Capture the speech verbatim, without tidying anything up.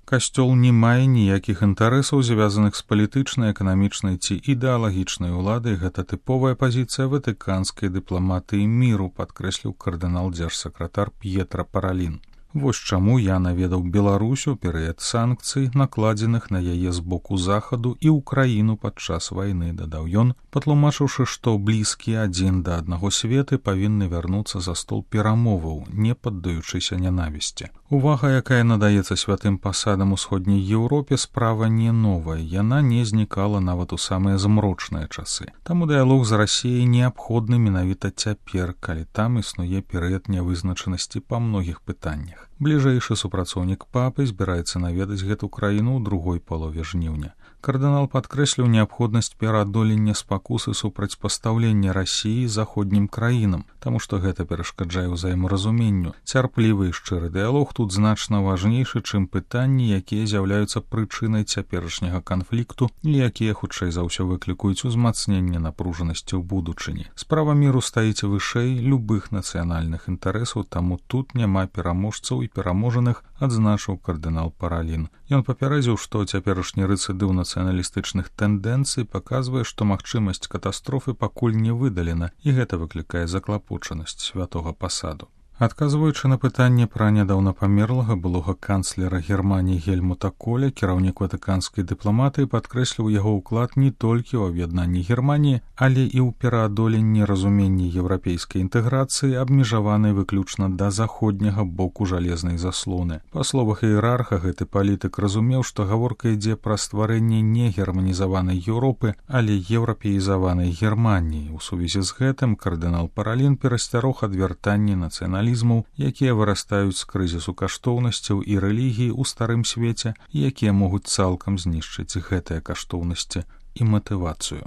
Касцёл не мае ніякіх інтарэсаў, звязаных з палітычнай, эканамічнай ці ідэалагічнай уладай. Гэта тыповая пазіцыя ватыканскай дыпламатыі міру, падкрэсліў кардынал дзяржсакратар П'етра Паралін. Вось чаму я наведаў Беларусь у перыяд санкцый, накладзеных на яе з боку захаду і ўкраіну падчас вайны, дадаў ён, патлумачыўшы, што блізкія адзін да аднаго светы павінны вярнуцца за стол перамоваў, не паддаючыся нянавісці. Увага, якая надаецца святым пасадам усходняй Еўропе, справа не новая, яна не знікала нават у самыя змрочныя часы. Таму дыялог з Расіяй неабходны менавіта цяпер, калі там існуе перыяд нявызначанасці па многіх пытаннях. Бліжэйшы супрацоўнік папы збіраецца наведаць гэту краіну ў другой палове жніўня. Кардынал падкрэсліў неабходнасць пераадолення спакусы супрацьпастаўлення Расіі заходнім краінам, таму што гэта перашкаджае ўзаемаразуменню. Цярплівы і шчыры дыялог тут значна важнейшы, чым пытанні, якія з'яўляюцца прычынай цяперашняга канфлікту і якія, хутчэй за ўсё, выклікаюць узмацненне напружанасці ў будучыні. Справа міру стаіць вышэй любых нацыянальных інтарэсаў, таму тут няма пераможцаў і пераможаных, адзначыў кардынал Паралін. Ён папярэдзіў, што цяперашні рэцыдыў нацыяналістычных тэндэнцый паказвае, што магчымасць катастрофы пакуль не выдалена, і гэта выклікае заклапочанасць святога пасаду. Адказваючы на пытанне пра нядаўна памерлага былога канцлера Германіі Гельмута Коля, кіраўнік ватыканскай дыпламатыі падкрэсліў яго ўклад не толькі ў аб'яднанні Германіі, але і ў пераадоленні разумення еўрапейскай інтэграцыі, абмежаванай выключна да заходняга боку жалезнай заслоны. Па словах іерарха, гэты палітык разумеў, што гаворка ідзе пра стварэнне не германізаванай Еўропы, але еўрапеізаванай Германіі. У сувязі з гэтым кардынал Паралін перасцярог ад вяртання нацыяналізму, якія вырастаюць з крызісу каштоўнасцяў і рэлігіі ў старым свеце, якія могуць цалкам знішчыць гэтыя каштоўнасці і матывацыю.